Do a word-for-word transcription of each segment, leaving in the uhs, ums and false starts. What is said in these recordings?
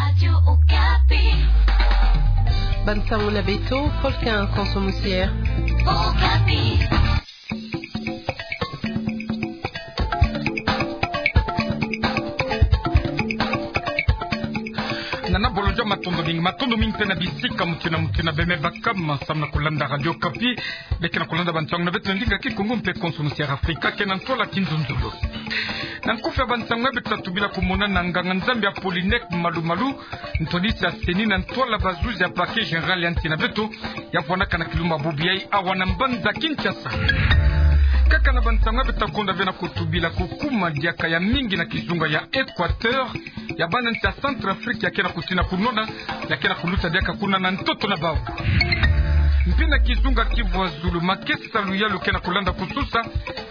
Radio Okapi. Bansango na beto, Paul Quin Konso Musier. Okapi. Nana Bolodja, matondo mingi, matondo mingi mpe na bisika muti na muti na bembe bakama, samu na kulanda Radio Okapi. Beke na kulanda bansango na beto na ndinga Kikongo mpe Konso Musier Afrika, ke na ntwala Kinzonzolo. Na nkufi ya bansango ya beto, tata tubila kumona na nganga-Nzambi Apollinaire Malumalu, ntwadisi ya CENI na ntwala bazuzi ya Parquet Général ya nsi na beto, ya vwanaka na kilumbu bubu yayi awa na mbanza Kinshasa. Kaka na bansango ya beto, ta konda ve na kutubila kukuma diaka ya mingi na kizunga ya Équateur, ya bana nsi ya Centrafrique ya ke na kutina kunwana, ya ke na kuluta diaka kuna na ntoto na bau. Mpe na kizunga Kivu ya Zulu, makesa luyalu ke na kulanda kususa,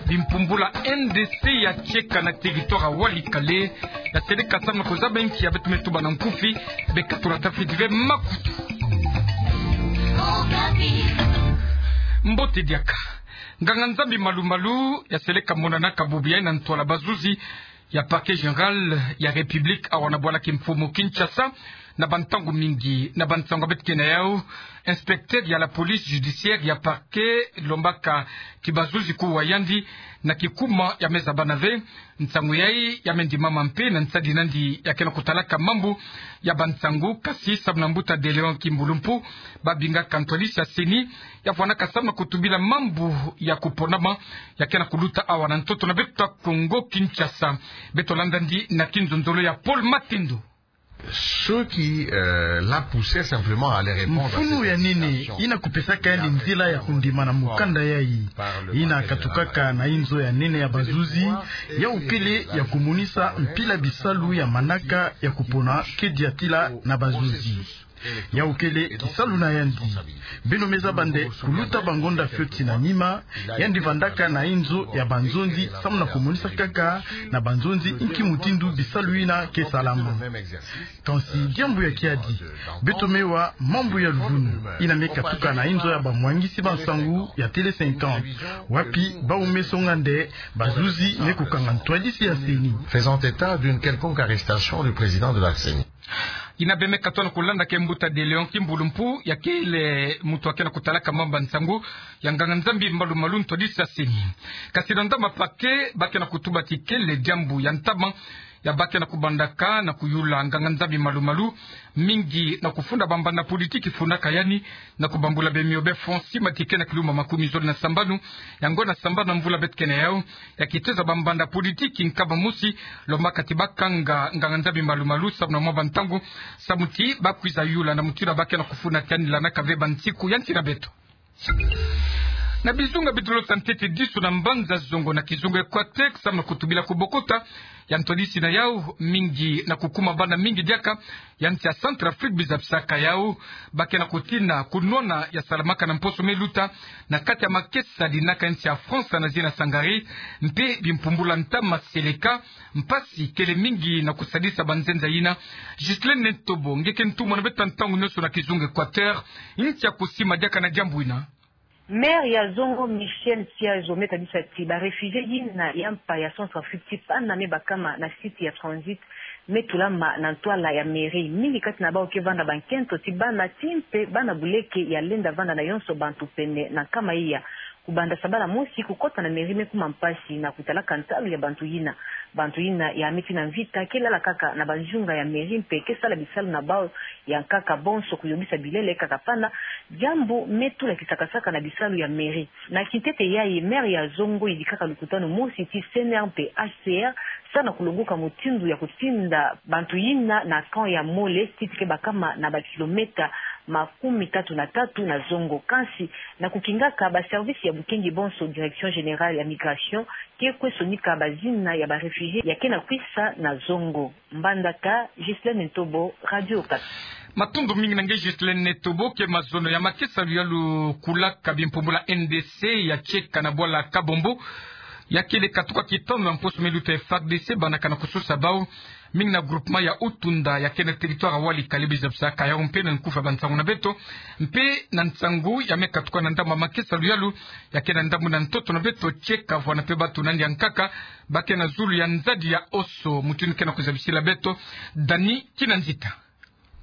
bimpumbula N D C ya tieka na territoire ya Walikale, ya seleka samu na kuzaba nki ya beto me tuba na nkufi, beka tula tafiti ve makutu. Mbote diaka. Nganga-Nzambi Malumalu, ya seleka monanaka bubu yayi na ntwala bazuzi ya Parquet Général ya République awa na bwala kimfumu Kinshasa, na bantangu mingi, na bansango ya beto ke na yau, inspecteur ya la police judiciaire ya parquet lombaka ti bazuzi kuwa yandi na kikuma ya me zaba na ve. Nsangu yayi ya me ndimama mpe na nsadi nandi ya ke na kutalaka mambu ya bansango, kasi samu na mbuta De Léon Kimbulumpu, babingaka ntwadisi ya CENI, ya vwanaka samu na kutubila mambu ya kuponama ya ke na kuluta awa na ntoto na beto ya Kongo Kinshasa. Beto landa yandi na kinzonzolo ya Paul Matendo. Ce qui, euh, l'a poussé simplement à aller répondre à cette invitation. Mfunu ya nene ina kupesaka yandi nzila ya kundima na mukanda yayi, ina katukaka na inzo ya nene ya bazuzi, yau kele ya kumonisa mpila bisalu ya manaka ya kupona ke diatila na bazuzi. Yau kele kisalu na yandi. Beno me zaba nde kuluta bangonda fioti na nima, yandi vandaka na inzo ya banzonzi samu na kumonisa kaka na banzonzi nki mutindu bisalu ina ke salama. Kansi diambu ya kiadi, beto me wa mambu ya luvunu ina me katuka na inzo ya bamwangisi bansangu ya Télé cinquante, wapi bau me songa nde bazuzi me kukanga ntwadisi ya CENI. Faisant état d'une quelconque arrestation du président de la CENI. Ina be me katuka na kulanda ke mbuta De Léon Kimbulumpu, ya kele muntu ya ke na kutalaka mambu ya nsangu, ya nganga-Nzambi Malumalu, ntwadisi ya CENI. Kasi na ndama parquet, ba ke na kutuba ti kele diambu ya ntama ya ba ke na kubandaka na kuyula nganga-Nzambi Malumalu, mingi na kufunda bambanda politiki fundaka yandi, na kubambula bemio be fonds sima ti ke na kilumbu makumi zole na sambanu, yango na sambanu na mvula beto ke na yau, ya kiteza bambanda politiki nkaba mosi, lombaka ti ba kanga nganga-Nzambi Malumalu samu na mwa bantangu, samu ti ba kwiza yula na mutindu ba ke na kufunda ti yandi, lanaka ve bansiku ya nsi na beto. Na bizunga bidulo sa ntete disu na mbanza zongo na kizunga Équateur, samu na kutubila kubokota ya ntwadisi na yau, mingi na kukuma bana mingi diaka ya nsi ya Centrafrique bizabisaka yau, ba ke na kutina kunwana ya salamaka na mposo me luta, na kati ya makesa dinaka nsi ya France na zina Sangari, mpe bimpumbula ntama seleka, mpasi kele mingi na kusadisa banzenza yina. Ghislaine Netobo, nge ke ntumwa na beto ntangu nyonso na kizunga Équateur, nti ya kusima diaka na diambu yina? Maire ya zongo Michel Siazo me tadisa ti ba réfugiés yina ya mpa ya Centrafrique ti pana me bakama na site ya transit me tulama na ntwala ya mairie. Mingi kati na bau ke vanda bankento ti bana ti mpe bana buleke ya lenda vanda na yonso bantu pene na nkama iya. Kubanda sabala mosi kukota na mairie me kuma mpasi na kutalaka ntalu ya bantu yina. Bantu yina ya me tina mvita ke lala kaka na banzunga ya mairie mpe ke sala bisalu na bau ya nkaka bonso, kuyobisa bilele kaka pana, diambu me tula kisakasaka na bisalu ya mairie. Na kintete yayi, maire ya zongo yidikaka lukutanu mosi ti C N R mpe H C R, samu na kulonguka mutindu ya kutinda bantu yina na camp ya Mole, site ke bakama na bakilomètre makumi tatu na tatu na zongo. Kansi, na kukingaka, ba service ya bukengi bonso, Direction Générale ya Migration, ke kwe sonika bazina ya ba réfugiés ya ke na kwisa na zongo. Mbandaka, Ghislaine Netobo, Radio Okapi. Matondo mingi na nge Ghislaine Netobo. Ke mazono ya makesa luyalu kulaka bimpumbula N D C ya tieka na bwala Kabombo, ya kele katuka kitanu na mposo me luta F A R D C, banaka na kususa bau, mingi na groupement ya Utunda ya ke na territoire ya Walikale bizabisaka yau mpe na nkufi ya bansangu na beto, mpe na nsangu ya me katuka na ndambu ya makesa luyalu ya ke na ndambu na ntoto na beto, tieka vwanda mpe batu nandi ya nkaka ba ke na zulu ya nzadi ya oso, mutindu ke na kuzabisila beto Dani Kinanzita.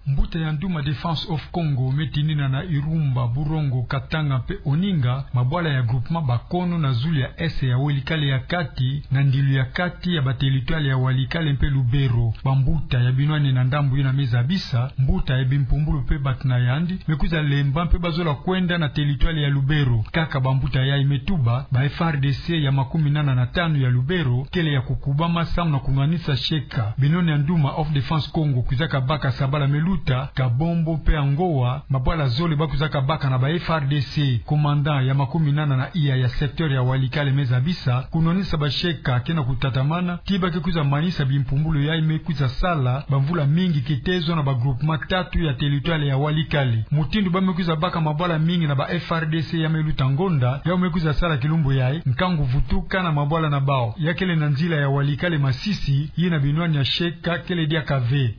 Mbuta ya Nduma Defense of Congo me tinina na Iroumba, Bourongo, Katanga mpe Oninga, mabwala ya groupement Bakono na zulu ya est ya Walikale ya kati, na ndilu ya kati ya ba territoire ya Walikale mpe Lubero. Bambuta ya binwani na ndambu yina me zabisa, mbuta ya bimpumbulu mpe bato na yandi, me kwiza lemba mpe bazola kwenda na territoire ya Lubero. Kaka bambuta yayi me tuba, ba F R D C ya makuminana na tanu ya Lubero kele ya kukubama samu na kunwanisa sheka. Binoni ya Nduma of Defense Congo kwizaka baka sabala me luta, Kabombo mpe Angoa, mabwala zole ba kwizaka baka na ba F R D C. Commandant ya makuminana na iya ya secteur ya Walikale me zabisa, kunwanisa basheka ke na kutatamana, ti ba ke kwiza manisa bimpumbulu yayi me kwiza sala bamvula mingi kitezo na ba groupement tatu ya territoire ya Walikale. Mutindu ba me kwiza baka mabwala mingi na ba F R D C ya me luta ngonda, yau me kwiza sala kilumbu yayi nkangu vutuka na mabwala na bau. Ya kele na nzila ya Walikale Masisi, yina binwani ya sheka kele diaka ve.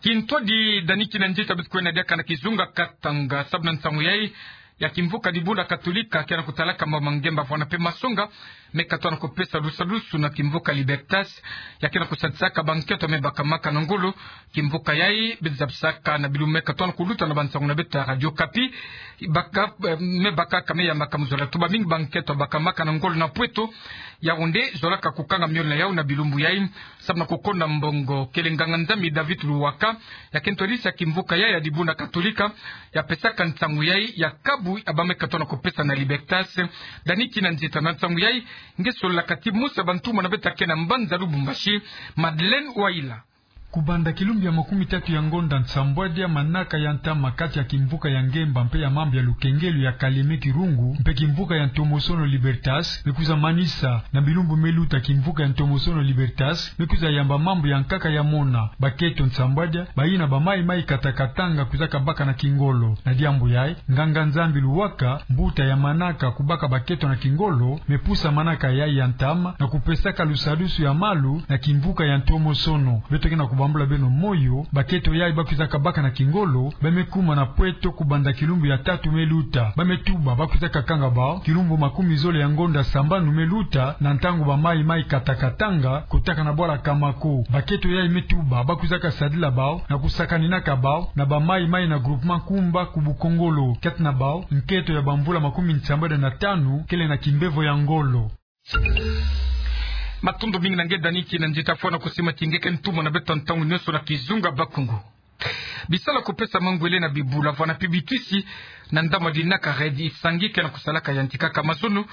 Kintwadi Dani Kinanzita beto kwenda diaka na kizunga Katanga, sabu na nsangu yayi ya kimvuka Dibundu Katolika ke na kutalaka mama Ngemba Mvwana mpe Masonga, me katona kupesa lusadusu na kimvuka Libertas, ya ke na kusadisaka bankento me bakamaka na ngolo. Kimvuka yayi beto zabisaka na bilumbu me katona kuluta na bansangu na beto ya Radio Okapi, baka, eh, me bakaka me yambaka mu zola tuba mingi bankento bakamaka na ngolo na pweto. Yaoundé zolaka kukanga miole na yau na bilumbu yayi, samu na kukonda mbongo. Kele nganga-Nzambi David Luwaka, ya kento lisi ya kimvuka yayi ya Dibundu Katolika, ya pesaka nsangu yayi ya kabu ya ba me katona kupesa na Libertas. Dani Kinanzita na nsangu yayi, nge sololaka ti mosi ya bantumwa na beto ya ke na mbanza Lubumbashi, Madeleine Waila. Kubanda kilumbu ya makumitatu ya ngonda nsambwadia, manaka ya ntama kati ya kimvuka ya Ngemba mpe ya mambu ya lukengelo ya Kalemi Kirungu mpe kimvuka ya ntomosono Libertas me kwiza manisa. Na bilumbu me luta kimvuka ya ntomosono Libertas me kwiza yamba mambu ya nkaka ya mona. Bakento nsambwadia, bayina ba mayi-mayi kata Katanga kwizaka baka na kingolo. Na diambu yayi, nganga-Nzambi Luwaka, mbuta ya manaka kubaka bakento na kingolo, me pusa manaka yayi ya ntama na kupesaka lusadusu ya malu na kimvuka ya ntomosono. Beto ke na kubambula beno moyo, bakento yayi ba kwizaka baka na kingolo, ba me kuma na pweto kubanda kilumbu ya tatu me luta. Ba me tuba ba kwizaka kanga bau kilumbu makumi zole ya ngonda sambanu me luta, na ntangu ba mayi-mayi kata Katanga kotaka na bwala Kamako. Bakento yayi me tuba ba kwizaka sadila bau na kusakaninaka bau na ba mayi-mayi na groupement Nkumba ku Bukongolo. Kati na bau, nkento ya bamvula makumi nsambwadia na tanu kele na kimbevo ya ngolo. Matondo mingi na nge Dani Kinanzita fwana kusima ti nge ke ntumwa na beto ntangu nyonso na kizunga Bakongo. Bisalu ya kupesa mangwele na bibula, mvwala mpe bitwisi, na ndambu ya linaka REDD Isangi ke na kusalaka yantika kama zono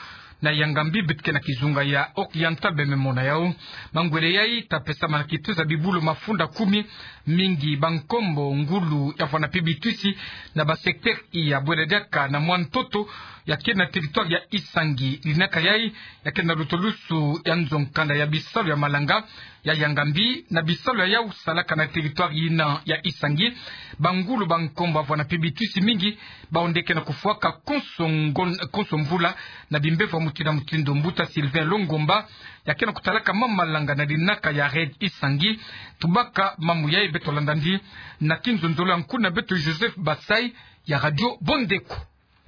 na Yangambi, beto ke na kizunga ya Oriental beno me mona yau. Mangwele yayi ta pesama na kituza bibulu mafunda kumi, mingi bankombo, ngulu ya mvwala mpe bitwisi, na ba secteur ya bwela diaka na mwa ntoto ya ke na territoire ya Isangi. Linaka yayi ya ke na lutulusu ya nzo-nkanda ya bisalu ya malanga ya Yangambi, na bisalu ya yau salaka na territoire yina ya Isangi. Bangulu, bankombo, mvwala mpe bitwisi mingi, bawu nde ke na kufwaka konso ngon-, konso mvula na bimbevo ya mutindu na mutindu. Mbuta Sylvain Longomba, ya ke na kutalaka mama malanga na linaka ya REDD Isangi, tubaka mambu yayi. Beto landa ndi na kinzonzolo ya nkuna beto Joseph Basai ya Radio Bondeko.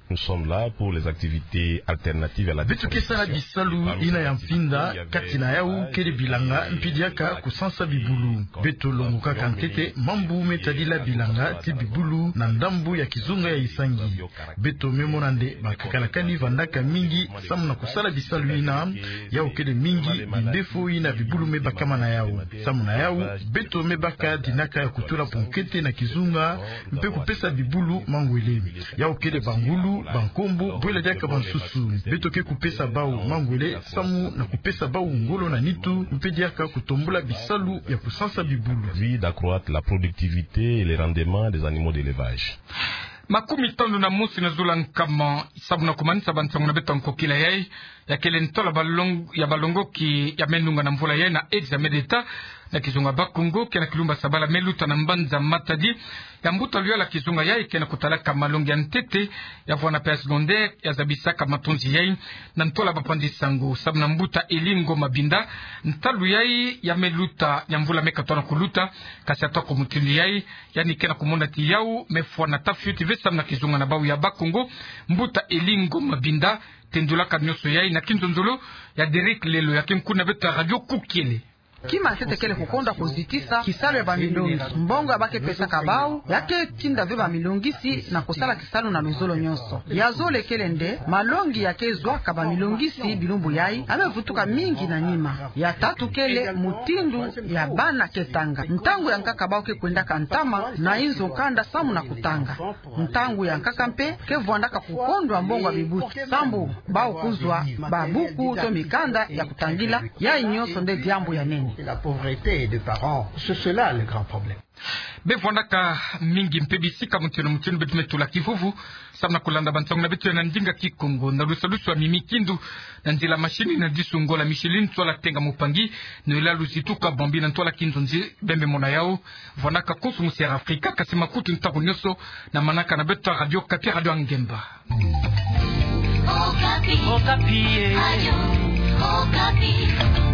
Nous sommes là pour les activités alternatives à la déforestation. Beto ke sala bisalu yina ya mfinda, kati na yau kele bilanga mpe diaka kusansa bibulu. Beto longokaka ntete mambu me tadila bilanga ti bibulu na ndambu ya kizunga ya Isangi. Beto me mona nde ba kakalakani vandaka mingi samu na kusala bisalu yina. Yau kele mingi bindefo yina bibulu me bakama na yau. Samu na yau, beto me baka dinaka ya kutula ponkete na kizunga mpe kupesa bibulu mangwele. Yau kele bangulu, bankombo, bwela diaka bansusu. Beto ke kupesa bau mangwele samu na kupesa bau ngolo na nitu, mpe diaka kutombula bisalu ya kusansa bibulu. Puis d'accroître la productivité et les rendements des animaux d'élevage. Makumi tanu na mosi na zula nkama, samu na kumanisa bansangu na beto ya nkokila yayi, ya kele ntola balong-, ya balongoki ya menunga na mvula yayi na examen d'État na kizunga Bakongo, ke na kilumbu ya sabala me luta na mbanza Matadi ya mbuta luyala kizunga yayi ke na kutalaka malongi ya ntete ya mvwala mpe ya secondaire, ya zabisaka matonzi yayi na ntola bapanzi sango. Samu na mbuta Elie Ngoma Binda, ntalu yayi ya me luta ya mvula me katona kuluta, kasi atako mutindu yayi, yandi ke na kumona ti yau me fwana ta fioti ve samu na kizunga na bau ya Bakongo. Mbuta Elie Ngoma Binda tendulaka nyonso yayi na kinzonzolo ya Derek Lelo, ya ke nkuna beto ya Radio Kukiele. Kima ntete kele kukondwa kuzitisa kisalu ya bamilongi. Mbongo ya ba ke pesaka bau, ya ke tinda ve bamilongisi na kusala kisalu na luzolo nyonso. Ya zole kele nde, malongi ya ke zwaka bamilongisi bilumbu yai, ya me vutuka mingi na nima. Ya tatu kele mutindu ya bana ke tanga. Ntangu ya nkaka bau ke kwendaka ntama, na inzo kanda samu na kutanga. Ntangu ya nkaka mpe, ke vwandaka kukondwa mbongo ya bibuti. Sambu, bau kuzwa babuku to mikanda ya kutangila, yai nyonso nde diambu ya nene. La pauvreté des parents, c'est cela le grand problème. Be vwandaka mingi mpe bisika mutieno mutieno beto me tula kivuvu, samu na kulanda bansangu na beto ya na ndinga Kikongo, na lusalusu ya Mimi Kindu, na nzila mashini na Disungola Micheline, ntwala Tenga Mupangi, nola luzituka Bambi na ntwala Kinzonzi Bembe Mona Yao, vwandaka konso mu Sierra Africa, kasi makutu ntangu nyonso, na manaka na beto Radio Okapi, Radio ya Ngemba. Okapi. Okapi, eh. Radio Okapi.